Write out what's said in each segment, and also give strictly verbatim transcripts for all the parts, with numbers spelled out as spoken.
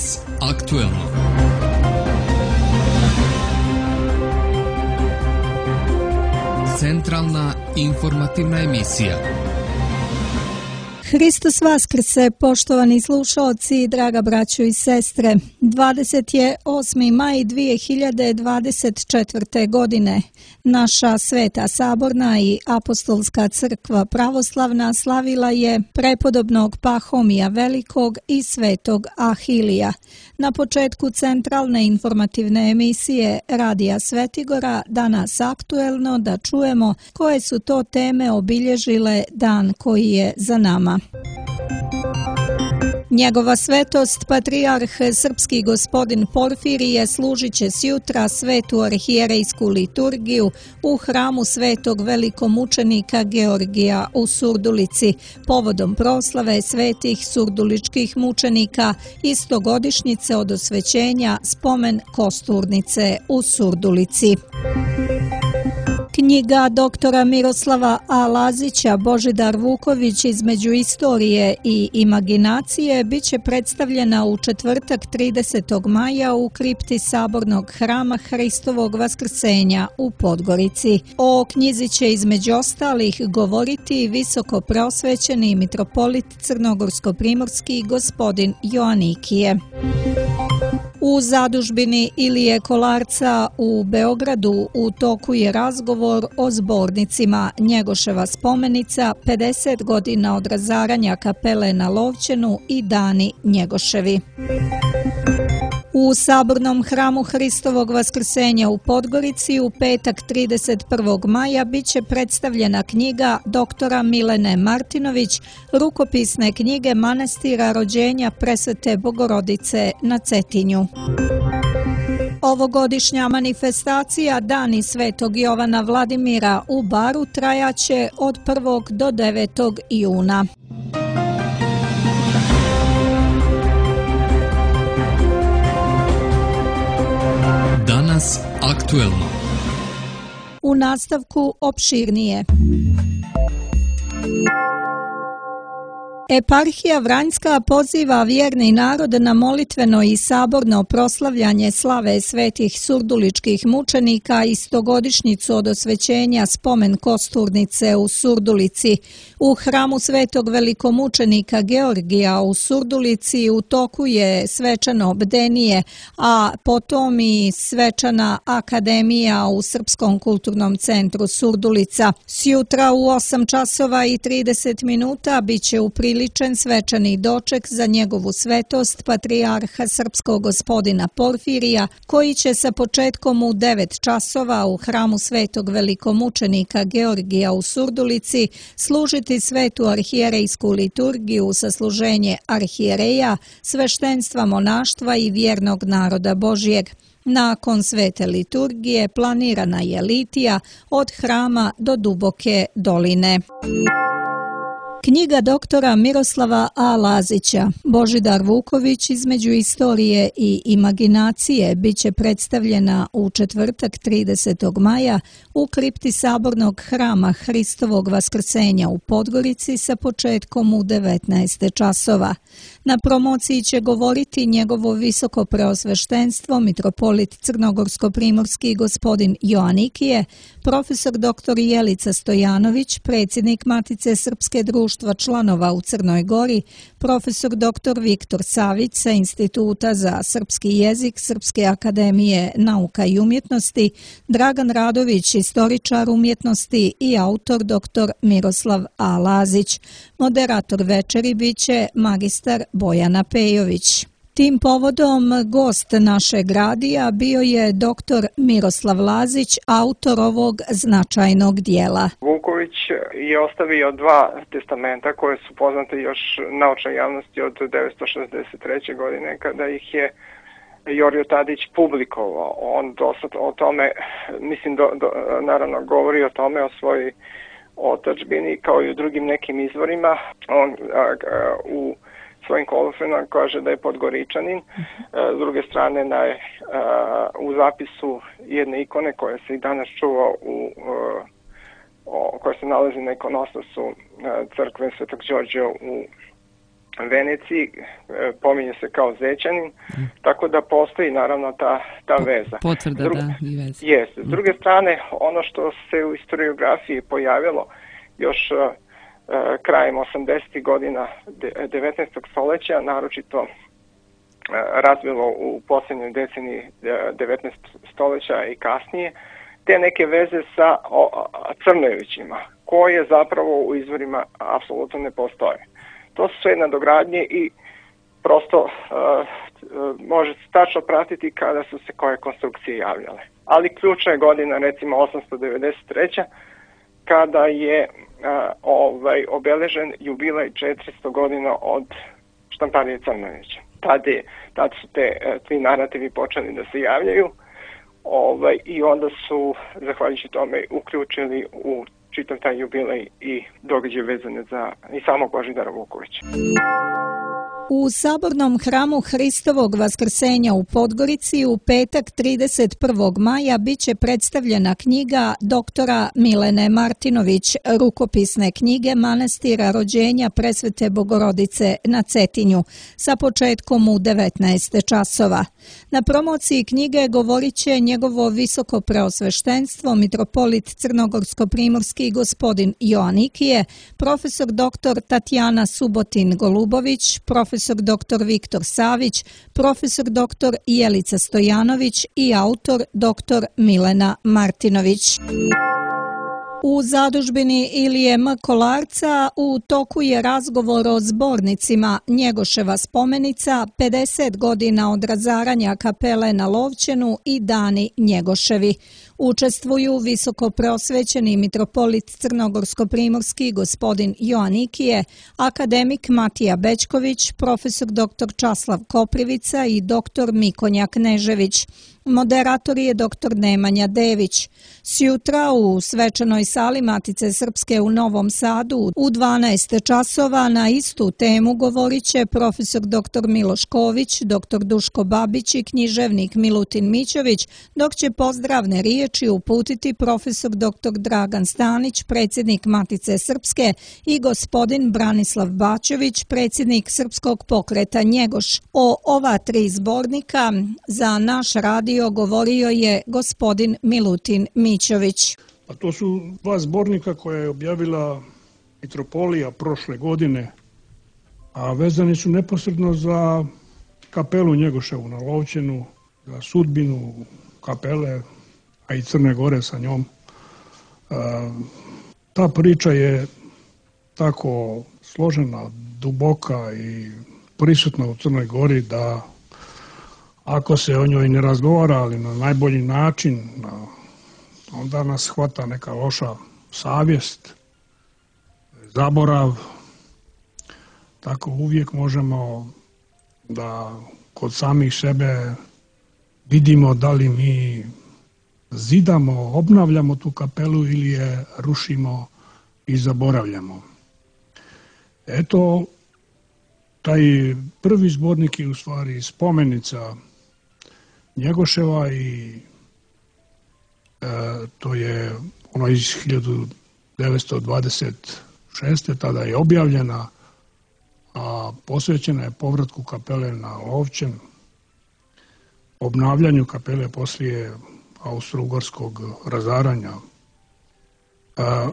Danas aktuelno. Centralna informativna emisija. Hristos vaskrse, poštovani slušaoci, draga braćo i sestre. dvadeset osmi maj dvije hiljade dvadeset četvrte. godine. Naša Sveta Saborna i Apostolska crkva pravoslavna slavila je prepodobnog Pahomija Velikog i Svetog Ahilija. Na početku centralne informativne emisije Radija Svetigora danas aktuelno da čujemo koje su to teme obilježile dan koji je za nama. Njegova svetost, patrijarh srpski gospodin Porfirije, služit će sjutra svetu arhijerejsku liturgiju u hramu svetog velikomučenika Georgija u Surdulici, povodom proslave svetih surduličkih mučenika i stogodišnjice od osvećenja spomen kosturnice u Surdulici. Knjiga doktora Miroslava A. Lazića Božidar Vuković između istorije i imaginacije bit će predstavljena u četvrtak tridesetog maja u kripti Sabornog hrama Hristovog vaskrsenja u Podgorici. O knjizi će između ostalih govoriti visoko preosvećeni mitropolit crnogorsko-primorski gospodin Joanikije. U zadužbini Ilije Kolarca u Beogradu u toku je razgovor o zbornicima Njegoševa spomenica, pedeset godina od razaranja kapele na Lovćenu i dani Njegoševi. U Sabornom hramu Hristovog vaskrsenja u Podgorici u petak trideset prvog maja bit će predstavljena knjiga doktora Milene Martinović, rukopisne knjige manastira rođenja Presvete Bogorodice na Cetinju. Ovogodišnja manifestacija Dani Svetog Jovana Vladimira u Baru trajaće od prvog do devetog juna. Danas aktuelno. U nastavku opširnije. Eparhija Vranjska poziva vjerni narod na molitveno i saborno proslavljanje slave svetih surduličkih mučenika i stogodišnjicu od osvećenja spomen kosturnice u Surdulici. U hramu svetog velikomučenika Georgija u Surdulici u toku je svečano bdenije, a potom i svečana akademija u Srpskom kulturnom centru Surdulica. Sjutra u osam časova i trideset minuta bit će u ličen svečani doček za njegovu svetost patrijarha srpskog gospodina Porfirija, koji će sa početkom u devet časova u hramu svetog velikomučenika Georgija u Surdulici služiti svetu arhijerejsku liturgiju sa služenje arhijereja, sveštenstva monaštva i vjernog naroda Božjeg. Nakon svete liturgije planirana je litija od hrama do duboke doline. Knjiga doktora Miroslava A. Lazića Božidar Vuković između istorije i imaginacije bit će predstavljena u četvrtak tridesetog maja u kripti Sabornog hrama Hristovog vaskrsenja u Podgorici sa početkom u devetnaest časova. Na promociji će govoriti njegovo visoko preosveštenstvo mitropolit crnogorsko-primorski gospodin Joanikije, profesor doktor Jelica Stojanović, predsjednik Matice Srpske društva članova u Crnoj Gori, profesor doktor Viktor Savić sa Instituta za srpski jezik Srpske akademije nauka i umjetnosti, Dragan Radović, istoričar umjetnosti i autor doktor Miroslav A. Lazić. Moderator večeri biće magistar Bojana Pejović. Tim povodom gost našeg radija bio je doktor Miroslav Lazić, autor ovog značajnog dijela. Vuković je ostavio dva testamenta koje su poznate još naučnoj javnosti od devetsto šezdeset treće. godine kada ih je Jorio Tadić publikovao. On dosta o tome, mislim, do, do, naravno govori o tome, o svojoj otadžbini kao i u drugim nekim izvorima. On a, a, u svojim kolofrenama kaže da je Podgoričanin. S druge strane, na, u zapisu jedne ikone koja se i danas čuva u koja se nalazi na ikonostasu crkve Svetog Đorđa u Veneciji, pominje se kao Zećanin, mm. tako da postoji naravno ta, ta veza. Potvrda, Drug, da, i veza. Jeste. S druge strane, ono što se u historiografiji pojavilo još uh, krajem osamdesetih godina devetnaestog stoljeća, naročito uh, razvilo u posljednjoj deceniji devetnaestog stoljeća i kasnije, te neke veze sa o, Crnojevićima, koje zapravo u izvorima apsolutno ne postoje. To su sve nadogradnje i prosto uh, uh, može se tačno pratiti kada su se koje konstrukcije javljale. Ali ključna je godina, recimo osamsto devedeset treća kada je uh, ovaj, obeležen jubilej četiristo godina od štamparije Crnojevića. Tad, je, tad su te uh, tri narativi počeli da se javljaju ovaj, i onda su, zahvaljujući tome, uključili u čitav taj jubilej i događaje vezane za i samog Božidara Vukovića. U Sabornom hramu Hristovog vaskrsenja u Podgorici u petak trideset prvog maja biće predstavljena knjiga doktora Milene Martinović, rukopisne knjige Manastira rođenja Presvete Bogorodice na Cetinju, sa početkom u devetnaest časova. Na promociji knjige govorit će njegovo visoko preosveštenstvo, mitropolit crnogorsko-primorski gospodin Joanikije, profesor doktor Tatjana Subotin-Golubović, profesor doktor Viktor Savić, profesor doktor Jelica Stojanović i autor doktor Milena Martinović. U zadužbini Ilije M. Kolarca u toku je razgovor o zbornicima Njegoševa spomenica, pedeset godina od razaranja kapele na Lovćenu i dani Njegoševi. Učestvuju visoko preosvećeni mitropolit crnogorsko-primorski gospodin Joanikije, akademik Matija Bećković, profesor doktor Časlav Koprivica i doktor Mikonja Knežević. Moderator je doktor Nemanja Dević. Sjutra u svečanoj sali Matice Srpske u Novom Sadu u dvanaest časova na istu temu govorit će profesor doktor Miloš Ković, doktor Duško Babić i književnik Milutin Mićović, dok će pozdravne riječi uputiti profesor doktor Dragan Stanić, predsjednik Matice Srpske, i gospodin Branislav Bačević, predsjednik Srpskog pokreta Njegoš. O ova tri zbornika za naš radio govorio je gospodin Milutin Mićović. A to su dva zbornika koje je objavila mitropolija prošle godine, a vezani su neposredno za kapelu Njegoševu na Lovćenu, za sudbinu kapele, a i Crne Gore sa njom. Ta priča je tako složena, duboka i prisutna u Crnoj Gori da ako se o njoj ne razgovara, ali na najbolji način, onda nas hvata neka loša savjest, zaborav. Tako uvijek možemo da kod samih sebe vidimo da li mi zidamo, obnavljamo tu kapelu ili je rušimo i zaboravljamo. Eto, taj prvi zbornik je u stvari spomenica Njegoševa i e, to je ono iz hiljadu devetsto dvadeset šeste. tada je objavljena, a posvećena je povratku kapele na Lovćen, obnavljanju kapele poslije austro-ugarskog razaranja. A,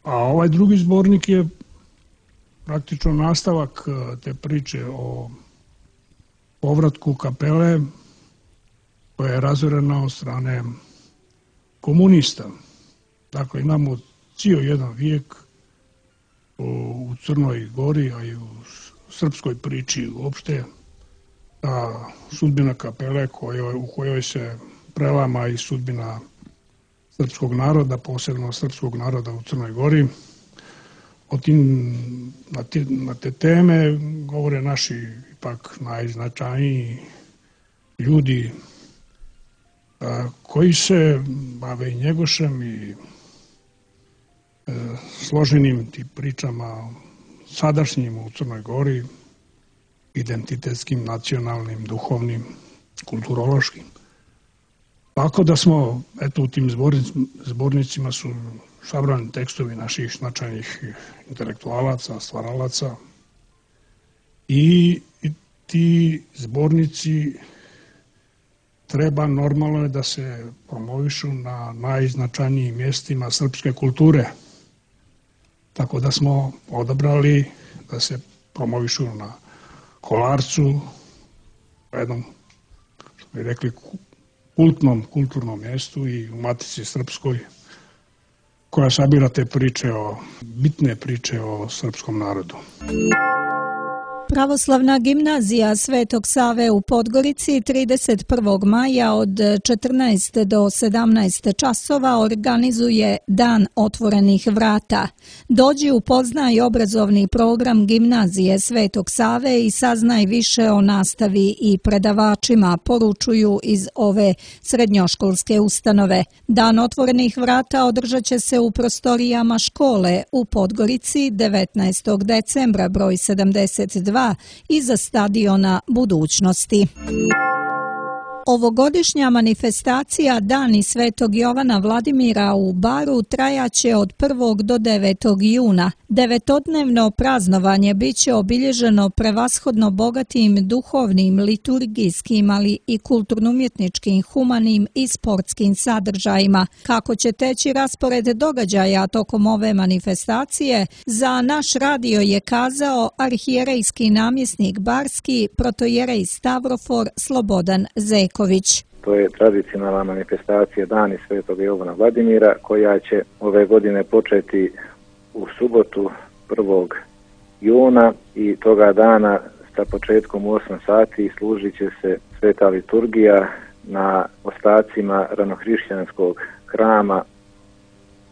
a ovaj drugi zbornik je praktično nastavak te priče o povratku kapele koja je razorena od strane komunista. Dakle, imamo cijel jedan vijek u Crnoj Gori, a i u srpskoj priči uopšte, ta sudbina kapele kojoj, u kojoj se prelama i sudbina srpskog naroda, posebno srpskog naroda u Crnoj Gori. O tim, na, te, na te teme govore naši ipak najznačajniji ljudi a, koji se bave i Njegošem i e, složenim tim pričama sadašnjim u Crnoj Gori, identitetskim, nacionalnim, duhovnim, kulturološkim. Tako da smo, eto, u tim zbornicima su sabrani tekstovi naših značajnih intelektualaca, stvaralaca, i ti zbornici treba normalno da se promovišu na najznačajnijim mjestima srpske kulture. Tako da smo odabrali da se promovišu na Kolarcu, u jednom, što bi rekli, kultnom, kulturnom mjestu i u Matici Srpskoj, koja sabira te priče, o, bitne priče o srpskom narodu. Pravoslavna gimnazija Svetog Save u Podgorici trideset prvog maja od četrnaest do sedamnaest časova organizuje Dan otvorenih vrata. Dođi upoznaj obrazovni program gimnazije Svetog Save i saznaj više o nastavi i predavačima, poručuju iz ove srednjoškolske ustanove. Dan otvorenih vrata održat će se u prostorijama škole u Podgorici devetnaestog decembra broj sedamdeset dva iza stadiona Budućnosti. Ovogodišnja manifestacija Dani Svetog Jovana Vladimira u Baru trajaće od prvog do devetog juna. Devetodnevno praznovanje biće obilježeno prevashodno bogatim duhovnim, liturgijskim, ali i kulturno-umjetničkim, humanim i sportskim sadržajima. Kako će teći raspored događaja tokom ove manifestacije, za naš radio je kazao arhijerejski namjesnik barski, protojerej Stavrofor Slobodan Zeko. To je tradicionalna manifestacija Dani Svetog Jovana Vladimira, koja će ove godine početi u subotu prvog juna i toga dana sa početkom u osam sati služit će se sveta liturgija na ostacima ranohrišćanskog hrama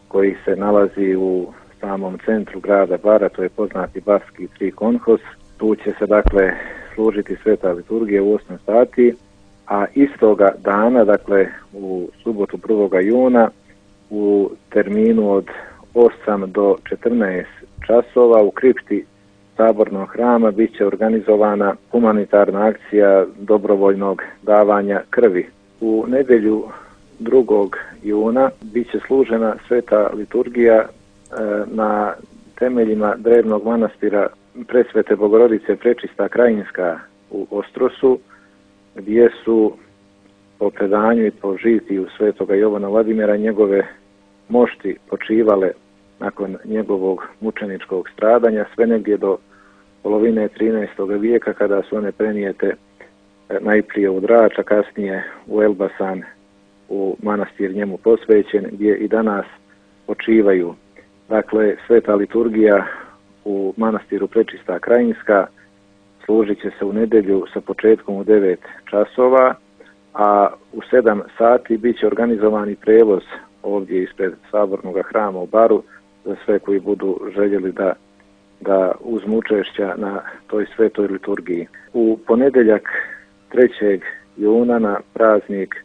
koji se nalazi u samom centru grada Bara, to je poznati barski trikonhos. Tu će se dakle služiti sveta liturgija u osam sati. A istoga dana, dakle u subotu prvog juna, u terminu od osam do četrnaest časova u kripti Sabornog hrama bit će organizovana humanitarna akcija dobrovoljnog davanja krvi. U nedjelju drugog juna bit će služena sveta liturgija e, na temeljima drevnog manastira Presvete Bogorodice Prečista Krajinska u Ostrosu, gdje su po predanju i po žitiju Svetoga Jovana Vladimira njegove mošti počivale nakon njegovog mučeničkog stradanja, sve negdje do polovine trinaestog vijeka, kada su one prenijete najprije u Drač, a kasnije u Elbasan, u manastir njemu posvećen, gdje i danas počivaju. Dakle, sveta liturgija u manastiru Prečista Krajinska služit će se u nedjelju sa početkom u devet časova, a u sedam sati bit će organizovani prevoz ovdje ispred Sabornog hrama u Baru za sve koji budu željeli da, da uzmu učešća na toj svetoj liturgiji. U ponedjeljak trećeg juna na praznik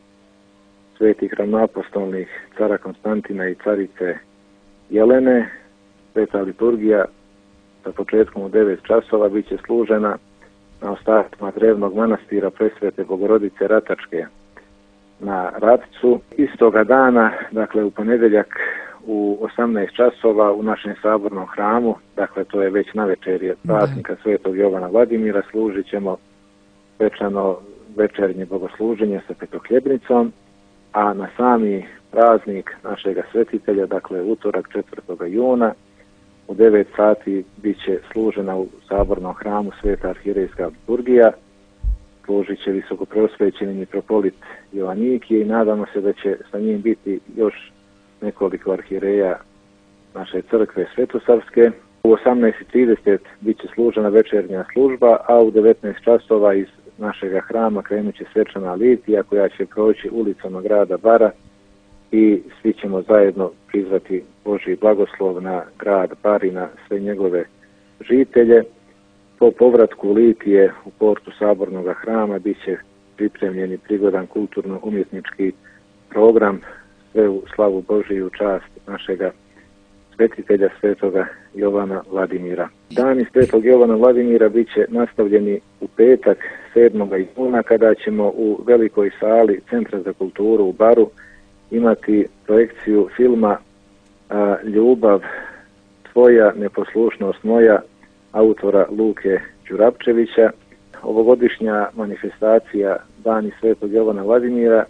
svetih ravnoapostolnih cara Konstantina i carice Jelene, sveta liturgija sa početkom u devet časova bit će služena na ostacima drevnog manastira Presvete Bogorodice Ratačke na Ratcu. Istoga dana, dakle u ponedjeljak u osamnaest časova u našem sabornom hramu, dakle to je već navečerje praznika Svetog Jovana Vladimira, služit ćemo svečano večernje bogosluženje sa petohljebnicom, a na sami praznik našega svetitelja, dakle utorak četvrtog juna, u devet sati bit će služena u sabornom hramu sveta arhirejska liturgija, služit će visokoprosvećeni mitropolit Jovanikije i nadamo se da će sa njim biti još nekoliko arhireja naše crkve Svetosavske. U osamnaest trideset bit će služena večernja služba, a u devetnaest časova iz našega hrama krenut će svečana litija koja će proći ulicama grada Bara i svi ćemo zajedno prizvati Božji blagoslov na grad Bar i na sve njegove žitelje. Po povratku litije u portu Sabornog hrama bit će pripremljeni prigodan kulturno-umjetnički program, sve u slavu Božiju čast našega svetitelja Svetoga Jovana Vladimira. Dani Svetog Jovana Vladimira bit će nastavljeni u petak sedmog juna kada ćemo u velikoj sali Centra za kulturu u Baru imati projekciju filma a, Ljubav tvoja, neposlušnost moja, autora Luke Đurapčevića. Ovogodišnja manifestacija Dani Svetog Jovana Vladimira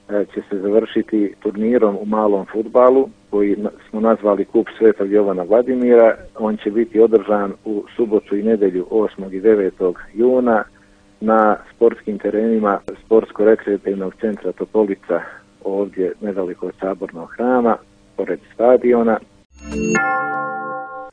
će se završiti turnirom u malom fudbalu koji smo nazvali Kup Svetog Jovana Vladimira. On će biti održan u subotu i nedelju osmog i devetog juna na sportskim terenima Sportsko-rekreativnog centra Topolica, ovdje nedaleko od Sabornog hrama, pored stadiona.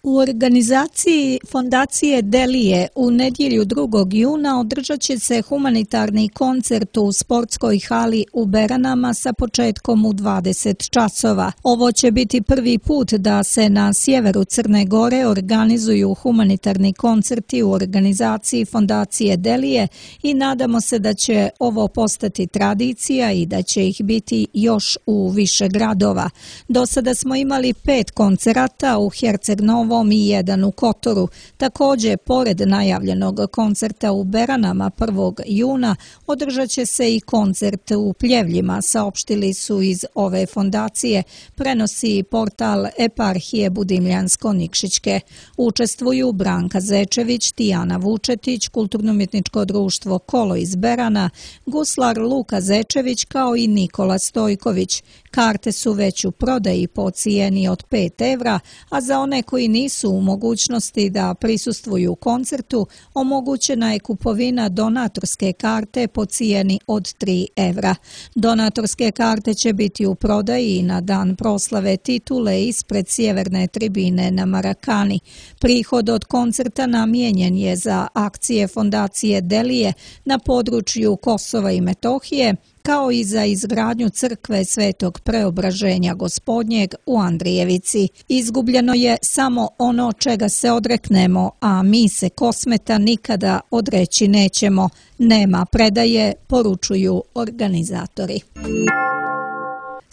U organizaciji Fondacije Delije u nedjelju drugog juna održat će se humanitarni koncert u sportskoj hali u Beranama sa početkom u dvadeset časova. Ovo će biti prvi put da se na sjeveru Crne Gore organizuju humanitarni koncerti u organizaciji Fondacije Delije i nadamo se da će ovo postati tradicija i da će ih biti još u više gradova. Do sada smo imali pet koncerata u Herceg-Novom i jedan u Kotoru. Također, pored najavljenog koncerta u Beranama prvog juna, održat će se i koncert u Pljevljima, saopštili su iz ove fondacije, prenosi portal Eparhije Budimljansko-Nikšićke. Učestvuju Branka Zečević, Tijana Vučetić, Kulturno-umjetničko društvo Kolo iz Berana, guslar Luka Zečević kao i Nikola Stojković. Karte su već u prodaji po cijeni od pet evra, a za one koji nisu u mogućnosti da prisustvuju koncertu, omogućena je kupovina donatorske karte po cijeni od tri evra. Donatorske karte će biti u prodaji na dan proslave titule ispred sjeverne tribine na Marakani. Prihod od koncerta namijenjen je za akcije Fondacije Delije na području Kosova i Metohije, kao i za izgradnju crkve Svetog Preobraženja Gospodnjeg u Andrijevici. Izgubljeno je samo ono čega se odreknemo, a mi se Kosmeta nikada odreći nećemo. Nema predaje, poručuju organizatori.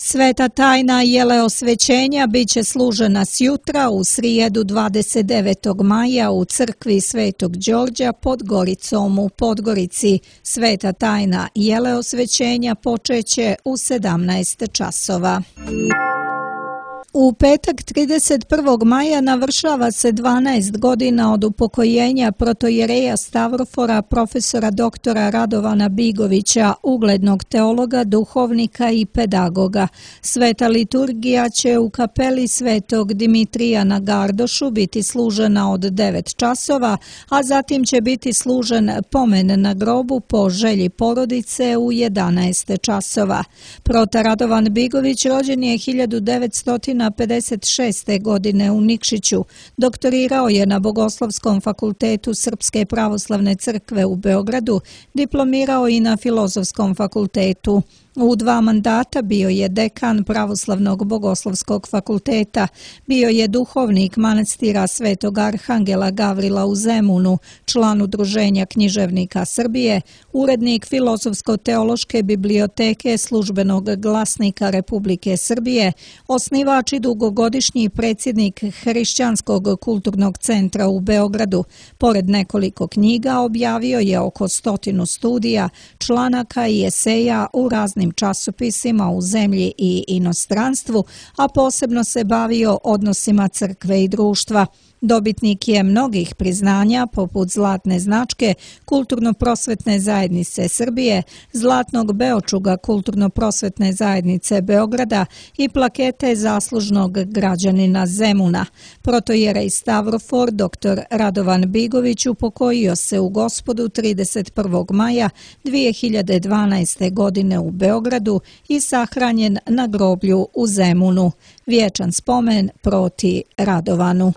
Sveta tajna jeleosvećenja bit će služena sjutra u srijedu dvadeset devetog maja u crkvi Svetog Đorđa pod Goricom u Podgorici. Sveta tajna jeleosvećenja počeće u sedamnaest časova. U petak trideset prvog maja navršava se dvanaest godina od upokojenja protojereja Stavrofora profesora doktora Radovana Bigovića, uglednog teologa, duhovnika i pedagoga. Sveta liturgija će u kapeli Svetog Dimitrija na Gardošu biti služena od devet časova, a zatim će biti služen pomen na grobu po želji porodice u jedanaest časova. Prota Radovan Bigović rođen je hiljadu devetsto pedeset šeste. godine u Nikšiću. Doktorirao je na Bogoslovskom fakultetu Srpske pravoslavne crkve u Beogradu, diplomirao i na Filozofskom fakultetu. U dva mandata bio je dekan Pravoslavnog bogoslovskog fakulteta, bio je duhovnik manastira Svetog Arhangela Gavrila u Zemunu, član Udruženja književnika Srbije, urednik Filozofsko-teološke biblioteke Službenog glasnika Republike Srbije, osnivač i dugogodišnji predsjednik Hrišćanskog kulturnog centra u Beogradu. Pored nekoliko knjiga objavio je oko stotinu studija, članaka i eseja u raznim časopisima u zemlji i inostranstvu, a posebno se bavio odnosima crkve i društva. Dobitnik je mnogih priznanja poput Zlatne značke Kulturno-prosvetne zajednice Srbije, Zlatnog beočuga Kulturno-prosvetne zajednice Beograda i plakete zaslužnog građanina Zemuna. Protojerej Stavrofor doktor Radovan Bigović upokojio se u Gospodu trideset prvog maja dvije hiljade dvanaeste. godine u Beogradu i sahranjen na groblju u Zemunu. Vječan spomen proti Radovanu.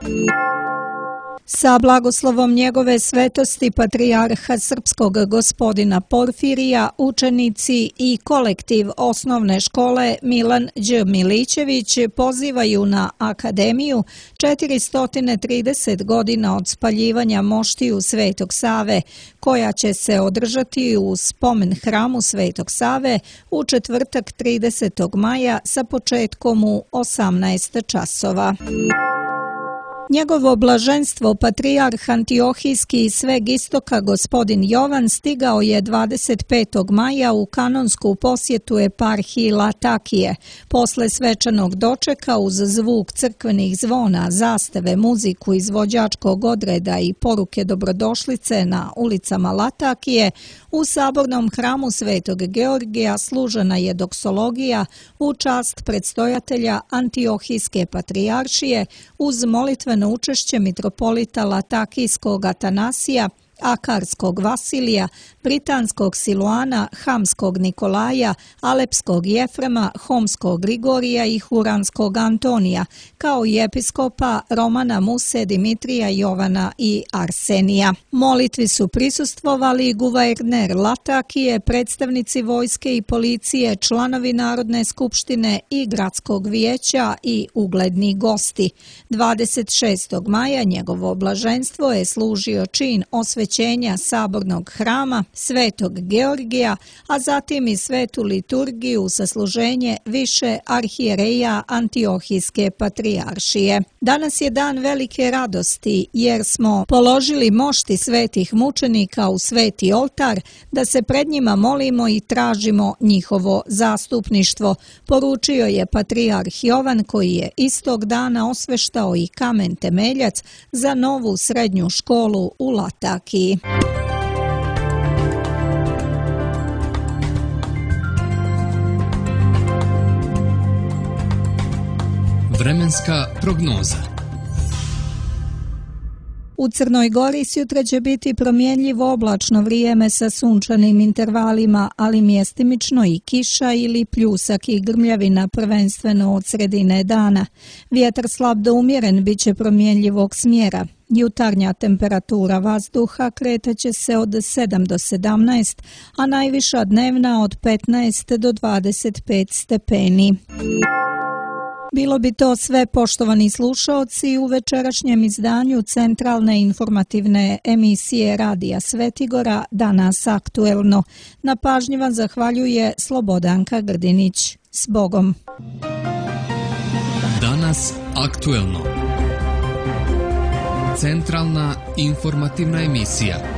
Sa blagoslovom njegove svetosti patrijarha srpskog gospodina Porfirija, učenici i kolektiv osnovne škole Milan Đ. Milićević pozivaju na akademiju četiristo trideset godina od spaljivanja moštiju Svetog Save, koja će se održati u spomen hramu Svetog Save u četvrtak tridesetog maja sa početkom u osamnaest časova. Njegovo blaženstvo patrijarh Antiohijski i sveg istoka gospodin Jovan stigao je dvadeset petog maja u kanonsku posjetu eparhiji Latakije. Posle svečanog dočeka uz zvuk crkvenih zvona, zastave, muziku, izvođačkog odreda i poruke dobrodošlice na ulicama Latakije, u sabornom hramu Svetog Georgija služena je doksologija u čast predstojatelja Antiohijske patrijaršije uz molitveno učešće mitropolita Latakijskog Atanasija, Akarskog Vasilija, Britanskog Siluana, Hamskog Nikolaja, Alepskog Jefrema, Homskog Grigorija i Huranskog Antonija, kao i episkopa Romana Muse, Dimitrija, Jovana i Arsenija. Molitvi su prisustvovali guverner Latakije, predstavnici vojske i policije, članovi Narodne skupštine i gradskog vijeća i ugledni gosti. dvadeset šestog maja njegovo blaženstvo je služio čin osvećenja sabornog hrama Svetog Georgija, a zatim i svetu liturgiju sa služenje više arhijereja Antiohijske patrijaršije. Danas je dan velike radosti jer smo položili mošti svetih mučenika u sveti oltar da se pred njima molimo i tražimo njihovo zastupništvo, poručio je patrijarh Jovan, koji je istog dana osveštao i kamen temeljac za novu srednju školu u Latakiji. Vremenska prognoza. U Crnoj Gori sutra će biti promjenjivo oblačno vrijeme sa sunčanim intervalima, ali mjestimično i kiša ili pljusak i grmljavina prvenstveno od sredine dana. Vjetar slab do umjeren bit će promjenjivog smjera. Jutarnja temperatura vazduha kretaće se od sedam do sedamnaest, a najviša dnevna od petnaest do dvadeset pet stepeni. Bilo bi to sve, poštovani slušaoci, u večerašnjem izdanju centralne informativne emisije Radija Svetigora Danas aktuelno. Na pažnji vam zahvaljuje Slobodanka Grdinić. S Bogom! Danas aktuelno. Centralna informativna emisija.